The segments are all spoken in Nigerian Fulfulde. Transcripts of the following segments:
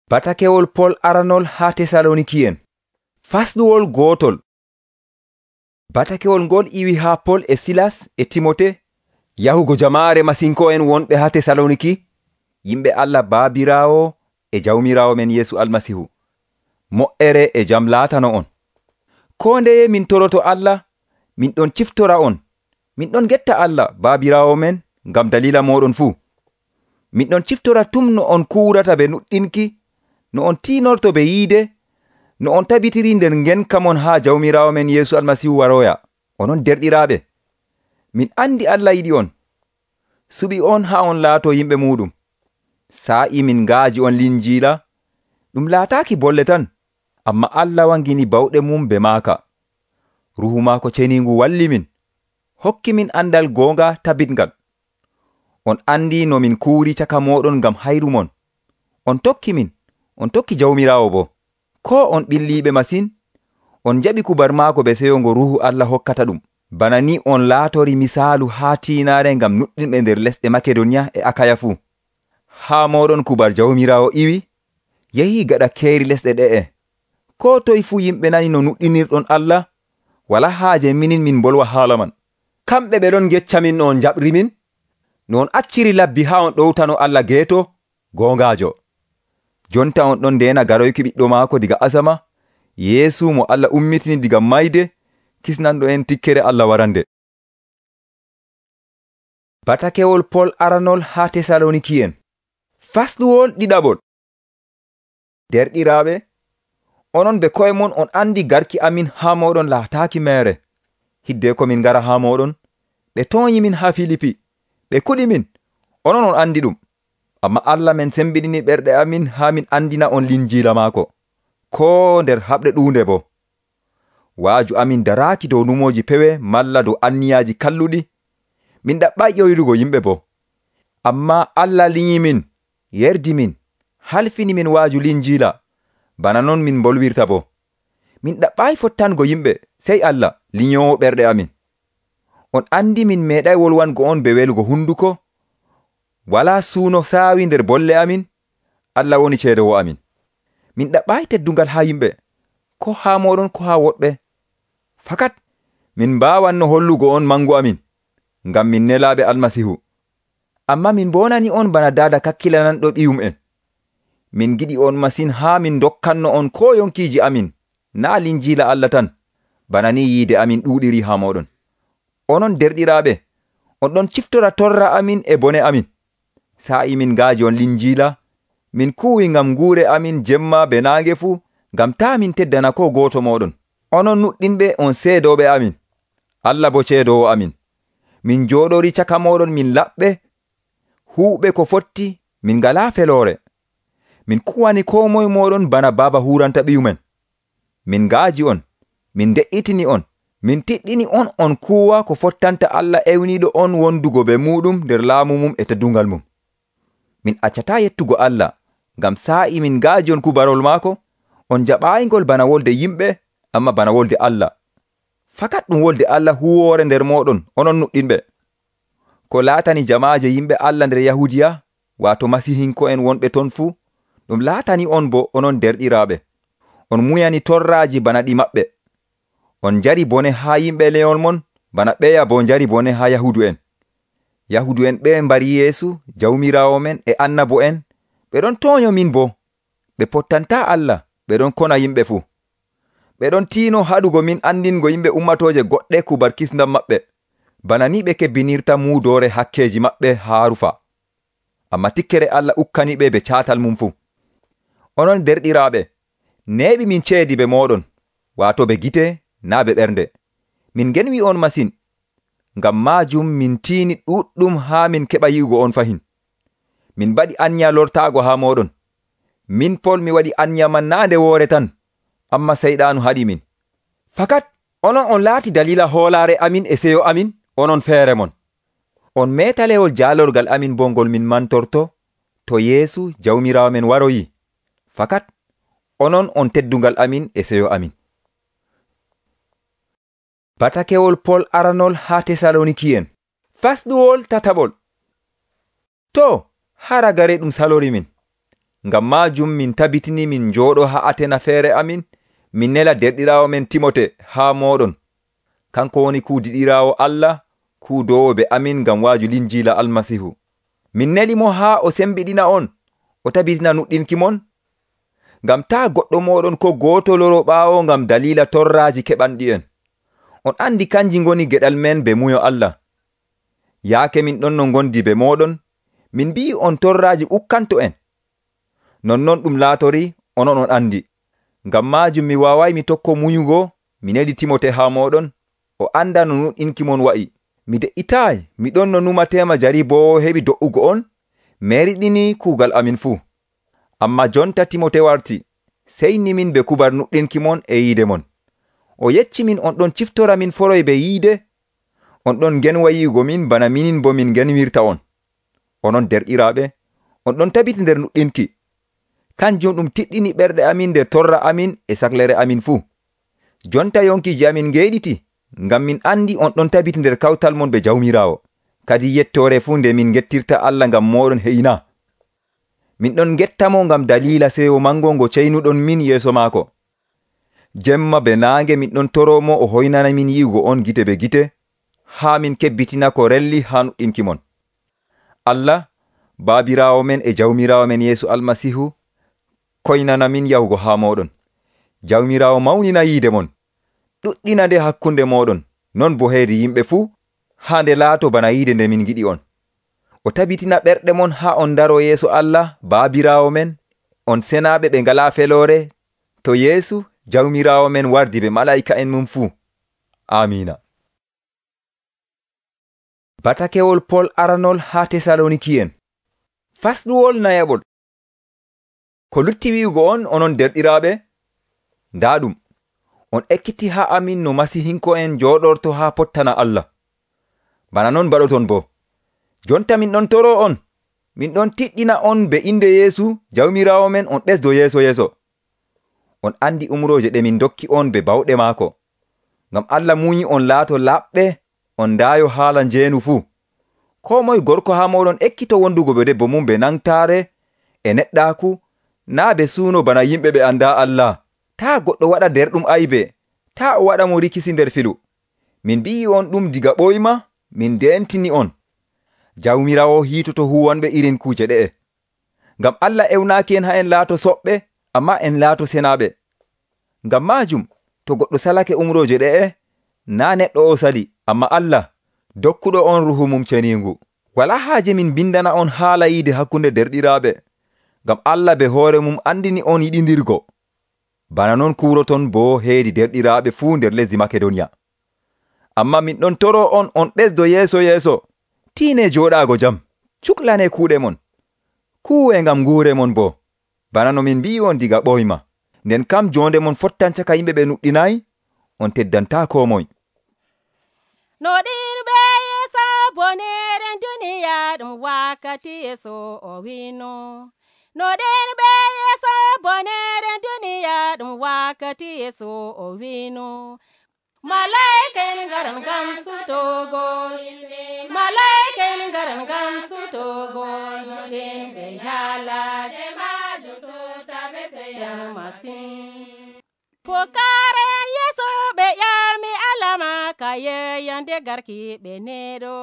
Batakewol Pol aranol haa Tesalooniki'en. Fasɗuwol gootol. Batakewol ngol iwi haa Pol e Silas e Timote yahugo jamaare masinko'en wonɓe haa Tesalooniki, yimɓe Allah Baabiraawo e Jawmiraawo men Yeesu Almasihu. Mo'ere e jam laatano on. Koo ndeye min toroto Allah, min ɗon ciftora on. Min ɗon getta Allah Baabiraawo men ngam dalila mooɗon fuu. Min ɗon ciftora tum no on kuurata be nuɗɗinki, no on tiinorto be yiide, no on tabitiri nder ngenka mon haa Jawmiraawo men Yeesu Almasihu waroya. Onon derɗiraaɓe, min andi Allah yiɗi on, suɓi on haa on laato yimɓe muɗum. Saa'i min ngaaji on Linjiila, ɗum laataaki bolle tan, amma Allah wangini bawɗe mum be maaka. Ruhu maako ceniingu walli min, hokki min andal goonga tabitngal. On andi no min kuuri caka mooɗon ngam hayru mon. On tokki min, on tokki Jawmiraawo bo. Koo on ɓilliiɓe masin, on jaɓi kubar maako be seyo ngo Ruhu Allah hokkata ɗum. Bana ni on laatori misaalu haa tiinaare ngam nuɗɗinɓe nder lesɗe Makedoniya e Akaya fuu. Haa mooɗon kubar Jawmiraawo iwi, yahii gaɗa keeri lesɗe ɗe'e. Koo toye fuu yimɓe nani no nuɗɗinirɗon Allah, wala haaje min bolwa haala man. Kamɓe ɓe ɗon gecca min no on jaɓri min, no on acciri labbi haa on ɗowtano Allah geeto, goongaajo. Jonta on ɗon ndeena garoyki ɓiɗɗo maako diga asama, Yeesu mo Allah ummitini diga mayde, kisnanɗo en tikkere Allah warande. Batakewol Pol aranol haa Tesalooniki'en. Fasɗuwol ɗiɗaɓol. Derɗiraaɓe, onon be koye mon on andi garki amin haa moɗon laataaki meere. Hidde ko min ngara haa moɗon, ɓe toonyi min haa Filipi, ɓe kuɗi min, onon on andi ɗum. Amma Allah men sembiɗini ɓerɗe amin haa min andina on Linjiila maako, koo nder haɓre ɗuunde bo. Waaju amin daraaki dow numooji pewe malla dow anniyaaji kalluɗi. Min ɗaɓɓay ƴoyrugo yimɓe bo. Amma Allah linyi min, yerdi min, halfini min waaju Linjiila, bana non min bolwirta bo. Min ɗaɓɓay fottango yimɓe, sey Allah linyoowo ɓerɗe amin. On andi min meeɗay wolwango on be welugo hunduko, wala suuno saawi nder bolle amin, Allah woni ceedowo amin. Min ɗaɓɓay teddungal haa yimɓe, ko haa moɗon ko haa woɗɓe. Fakat min mbaawanno hollugo on mangu amin, ngam min nelaaɓe Almasihu. Amma min bonani on bana daada kakkilananɗo ɓiyum en. Min giɗi on masin haa min dokkanno on ko yonkiiji amin, naa Linjiila Allah tan, bana ni yiide amin ɗuuɗiri haa moɗon. Onon derɗiraaɓe, on ɗon ciftora torra amin e bone amin. Saa'i min ngaaji on Linjiila, min kuwi ngam nguure amin jemma be naange fuu, ngam taa min teddana ko gooto moɗon. Onon nuɗɗinɓe on seedooɓe amin, Allah bo ceedoowo amin. Min jooɗori caka moɗon min laɓɓe, huuɓe ko fotti, min ngalaa feloore. Min kuwani ko moye moɗon bana baaba huranta ɓiyumen. Min ngaaji on, min de'itini on, min tiɗɗini on kuuwa ko fottanta Allah ewniiɗo on wondugo be muɗum nder laamu mum e teddungal mum. Min accataa yettugo Allah, ngam saa'i min ngaaji on kubarol maako, on jaɓaayngol bana wolde yimɓe, amma bana wolde Allah. Fakat ɗum wolde Allah huwoore nder moɗon, onon nuɗɗinɓe. Ko laatani jamaaje yimɓe Allah nder Yahudiya, waato Masihinko'en wonɓe ton fuu, ɗum laatani on bo onon derɗiraaɓe. On muyani torraaji bana ɗi maɓɓe. On njari bone haa yimɓe leyol mon, bana ɓeya bo njari bone haa Yahudu'en. Yahudu'en ɓe mbari Yeesu, Jawmiraawo men e annabo en, ɓe ɗon toonyo min bo. Ɓe pottantaa Allah, ɓe ɗon kona yimɓe fuu. Ɓe ɗon tiino haɗugo min andingo yimɓe ummatooje goɗɗe kubar kisndam maɓɓe, bana ni ɓe kebbinirta muudoore hakkeeji maɓɓe haa rufa. Amma tikkere Allah ukkani ɓe be caatal mum fuu. Onon derɗiraaɓe, neeɓi min ceedi be moɗon, waato be gite naa be ɓernde. Min ngenwi on masin, ngam maajum min tiini ɗuɗɗum haa min keɓa yi'ugo on fahin. Min mbaɗi anya lortaago haa moɗon. Min Pol mi waɗi anya man naa nde woore tan, amma seyɗaanu haɗi min. Fakat onon on laati dalila hoolaare amin e seyo amin, onon feere mon. On meetalewol jaalorgal amin bo ngol min mantorto, to Yeesu Jawmiraawo men waroyi. Fakat onon on teddungal amin e seyo amin. Batakewol Pol aranol haa Tesalooniki'en. Fasɗuwol tataɓol. To, hara gare ɗum salori min. Ngam maajum min tabitini min njooɗo haa Atena feere amin, min nela derɗiraawo men Timote haa mooɗon. Kanko woni kuudiɗiraawo Allah, kuudoowo be amin ngam waaju linjiila Almasihu. Min neli mo haa o sembiɗina on, o tabitina nuɗɗinki mon, ngam taa goɗɗo mooɗon ko gooto loro ɓaawo ngam daliila torraaji keɓanɗi en. On andi kanji ngoni geɗal men be muyo Allah. Yaake min ɗon no ngondi be mooɗon, min mbi'i on torraaji ukkanto en. Nonnon ɗum laatori, onon on andi. Ngam maajum mi waaway mi tokko muyugo, mi neli Timote haa mooɗon, o anda no nuɗɗinki mon wa'i. Mi de'itaay, mi ɗon no numatema jariboowo heɓi do'ugo on, meriɗini kuugal amin fuu. Amma jonta Timote warti, seyni min be kubar nuɗɗinki mon e yiide mon. O yecci min on ɗon ciftora min foroy be yiide, on ɗon genwa yi'ugo min bana minin bo min genwirta on. Onon derɗiraaɓe, on ɗon tabiti nder nuɗɗinki. Kanjum ɗum tiɗɗini ɓerɗe amin nder torra amin e saklere amin fuu. Jonta yonkiji amin ngeeɗiti, ngam min andi on ɗon tabiti nder kawtal mon be Jawmiraawo. Kadi yettore fuu nde min gettirta Allah ngam moɗon heyna. Min ɗon gettamo ngam daliila sewo mango ngo ceynuɗon min yeeso maako. Jemma be naange min ɗon toromo o hoynana min yi'ugo on gite be gite, haa min kebbitina ko relli haa nuɗɗinki mon. Allah, Baabiraawo men e Jawmiraawo men Yeesu Almasihu, koynana min yahugo haa moɗon. Jawmiraawo mawnina yiide mon, ɗuɗɗina nde hakkunde moɗon, non bo heyri yimɓe fuu, haa nde laato bana yiide nde min giɗi on. O tabitina ɓerɗe mon haa on daro yeeso Allah, Baabiraawo men, on senaaɓe ɓe ngalaa feloore, to Yeesu, Jawmiraawo men wardi be malaa'ika en mum fuu. Amiina. Batakewol Pol aranol haa Tesaloniki'en. Fasɗuwol nayaɓol. Ko lutti wi'ugo on, onon derɗiraaɓe, ndaa ɗum, on ekkiti haa amin no Masihinko'en jooɗorto haa pottana Allah. Bana non baɗoton bo. Jonta min ɗon toro on, min ɗon tiɗɗina on be inde Yeesu, Jawmiraawo men, on ɓesdo yeeso. On andi umroje ɗe min dokki on be bawɗe maako. Ngam Allah muyi on laato laɓɓe, on ndaayo haala njeenu fuu. Ko moye gorko haa moɗon ekkito wondugo be debbo mum be nangtaare e neɗɗaaku, naa be suuno bana yimɓe ɓe andaa Allah. Taa goɗɗo waɗa nder ɗum aybe, taa o waɗa mo rikisi nder filu. Min mbi'i on ɗum diga ɓoyma, min deentini on. Jawmiraawo hiitoto huwanɓe irin kuuje ɗe'e. Ngam Allah ewnaaki en haa en laato soɓɓe, amma en laato senaaɓe. Ngam maajum, to goɗɗo salake umroje ɗe'e, naa neɗɗo o sali, amma Allah, dokkuɗo on ruhu mum ceniingu. Walaa haaje min bindana on haala yiide hakkunde derɗiraaɓe, ngam Allah be hoore mum andini on yiɗindirgo. Bana non kuuroton bo heedi derɗiraaɓe fuu nder lesdi Makedoniya. Amma min ɗon toro on ɓesdo yeeso, tiine jooɗaago jam, cuklane kuuɗe mon, kuuwe ngam nguure mon bo, bana no min mbi'i on diga ɓoyma. Nden kam jonde mon fottan caka yimɓe ɓe nuɗɗinayi, on teddanta ko moy. No ɗin ɓe yeesa bonere duniya ɗum wakkati yeeso o wino. No ɗin ɓe yeesa bonere duniya ɗum wakkati yeeso o wino. Malaa'ika'en ngaran ngam sutogo yimɓe, malaa'ika'en ngaran ngam sutogo no ɗin ɓe yaalade majum sutaɓe seyan masin. Pokare yeeso ɓe ƴami alama ka yeyande garki ɓe neɗo.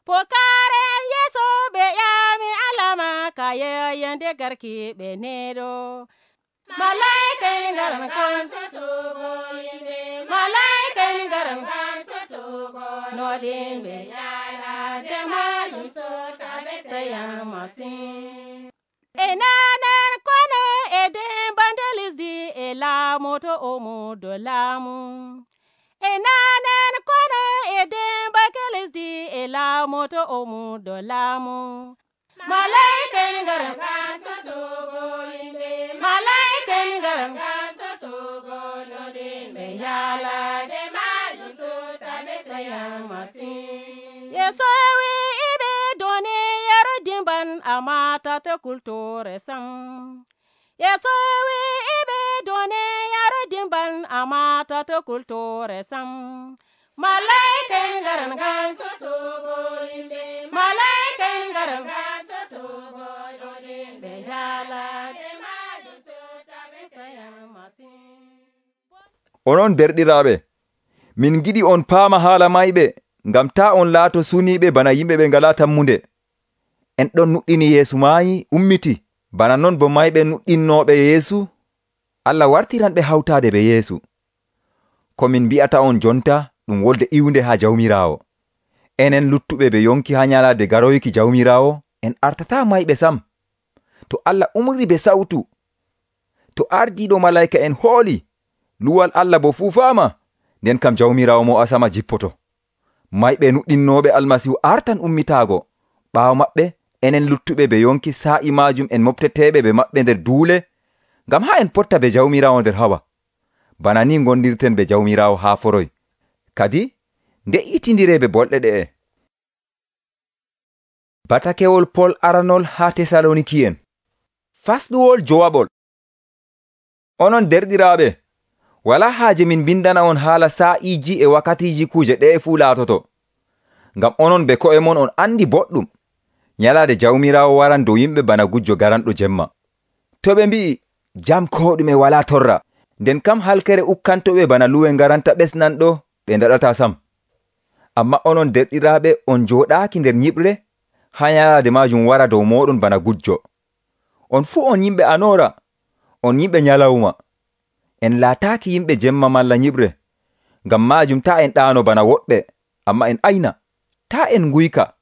Pokare yeeso ɓe ƴami alama ka yeyande garki ɓe neɗo. Malaa'ika'en ngaran ngam sutogo yimɓe, malaa'ika'en ngaran ngam sutogo no ɗin ɓe yaalade majum sutaɓe seyan masin. E nanen kono e dembande lesdi e laamoto omo do laamu. E nanen kono e dembake lesdi e laamoto omo do laamu. Malaa'ika'en ngaran ngam sutogo yimɓe, malaa'ika'en ngaran ngam sutogo no ɗin ɓe yaalade majum sutaɓe seyan masin. Yeeso wi'iɓe duniyaaru dimban amata te kultore sam. Yeeso wi'iɓe duniyaaru dimban amata te kultore sam. Malaa'ika'en ngaran ngam sutogo yimɓe, malaa'ika'en ngaran ngam sutogo no ɗin ɓe Onon derɗiraaɓe, min giɗi on paama haala mayɓe, ngam taa on laato suniiɓe bana yimɓe ɓe ngalaa tammunde. En ɗon nuɗɗini Yeesu maayi ummiti, bana non bo mayɓe nuɗɗinnooɓe Yeesu, Allah wartiranɓe hawtaade be Yeesu. Ko min mbi'ata on jonta ɗum wolde iwnde haa Jawmiraawo. Enen luttuɓe ɓe yonki haa nyalaade garoyki Jawmiraawo, en artataa mayɓe sam. To Allah umri be sawtu, to ardiiɗo malayka en hooli, luwal Allah bo fuufaama, nden kam Jawmiraawo mo asama jippoto. Mayɓe nuɗɗinnooɓe Almasihu artan ummitaago. Ɓaawo maɓɓe, enen luttuɓe ɓe yonki saa'i maajum en mofteteeɓe ɓe maɓɓe nder duule, ngam haa en potta be Jawmiraawo nder hawa. Bana ni gondirten be Jawmiraawo haa foroy. Kadi nde'itindiree be bolɗe ɗe'e. Batakewol Pol aranol haa Tesaloniki'en. Fasɗuwol jowaɓol. Onon derɗiraaɓe, walaa haaje min bindana on haala saa'iiji e wakkatiiji kuuje ɗe'e fuu laatoto. Ngam onon be ko'e mon on andi boɗɗum, nyalaade Jawmiraawo waran dow yimɓe bana gujjo garanɗo jemma. To ɓe mbi'i jam ko ɗume walaa torra, nden kam halkere ukkantoɓe bana luwe ngaranta ɓesnanɗo ɓe ndaɗata sam. Amma onon derɗiraaɓe, on jooɗaaki nder nyiɓre, haa nyalaade maajum wara dow mooɗon bana gujjo. On fuu on yimɓe anoora, on yimɓe nyalawma. En laataaki yimɓe jemma malla nyiɓre. Ngam maajum taa en ɗaano bana woɗɓe, amma en ayna. Taa en nguyka.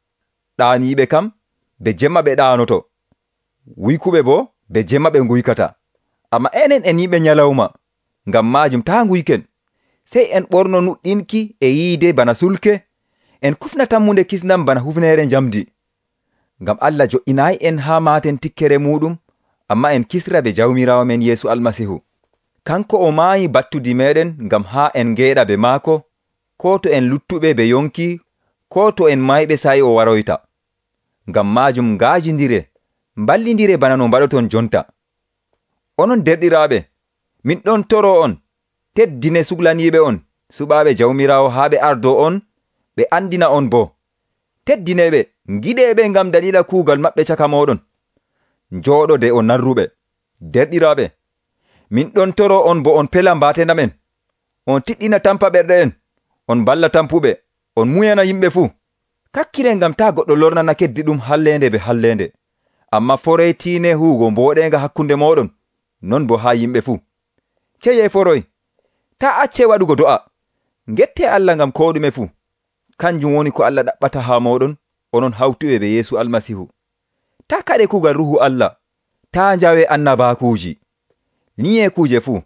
Ɗaaniiɓe kam be jemma ɓe ɗaanoto. Wuykuɓe bo be jemma ɓe nguykata. Amma enen en yimɓe nyalawma. Ngam maajum taa nguyken. Sey en ɓorno nuɗɗinki e yiide bana sulke, en kufna tammunde kisnam bana hufneere njamdi. Ngam Allah jo'inaayi en haa maaten tikkere muɗum, amma en kisra be Jawmiraawo men Yeesu Almasihu. Kanko o maayi battudi meɗen ngam haa en ngeeɗa be maako, ko to en luttuɓe be yonki, ko to en mayɓe sa'i o waroyta. Ngam maajum ngaajindire, mballindire bana no mbaɗoton jonta. Onon derɗiraaɓe, min ɗon toro on, teddine suglaniiɓe on, suɓaaɓe Jawmiraawo haa ɓe ardo on, ɓe andina on bo. Teddineɓe, ngiɗeɓe ngam dalila kuugal maɓɓe caka moɗon. Njooɗo de on narruɓe. Derɗiraaɓe, min ɗon toro on bo on pela mbaatena men. On tiɗɗina tampa ɓerɗe en, on balla tampuɓe, on muyana yimɓe fuu. Kakkire ngam taa goɗɗo lornana keddi ɗum hallende be hallende. Amma foreytiine huugo mbooɗenga hakkunde moɗon, non bo haa yimɓe fuu. Ceye foroy, taa acce waɗugo do'a. Ngette Allah ngam ko ɗume fuu. Kanjum woni ko Allah ɗaɓɓata haa moɗon, onon hawtuɓe be Yeesu Almasihu. Taa kaɗe kuugal Ruhu Allah, taa njawe annabaakuuji. Niye kuuje fuu,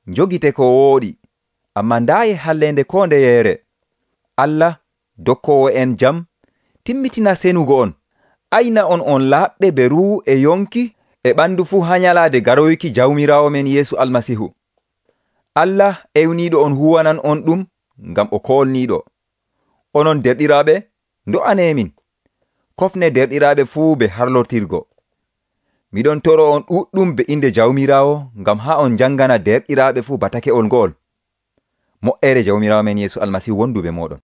njogite ko wooɗi, amma ndaaye hallende ko ndeyeere. Allah, dokkowo en jam, timmitina senugo on, ayna on laaɓɓe be ruhu e yonki e ɓandu fuu haa nyalaade garoyki Jawmiraawo men Yeesu Almasihu. Allah ewniiɗo on huwanan on ɗum ngam o koolniiɗo. Onon derɗiraaɓe, ndo'anemin. Kofne derɗiraaɓe fuu be harlotirgo. Miɗon toro on ɗuɗɗum be inde Jawmiraawo ngam haa on jangana derɗiraaɓe fuu batake'ol ngo'ol. Mo'ere Jawmiraawo men Yeesu Almasihu wondu be moɗon.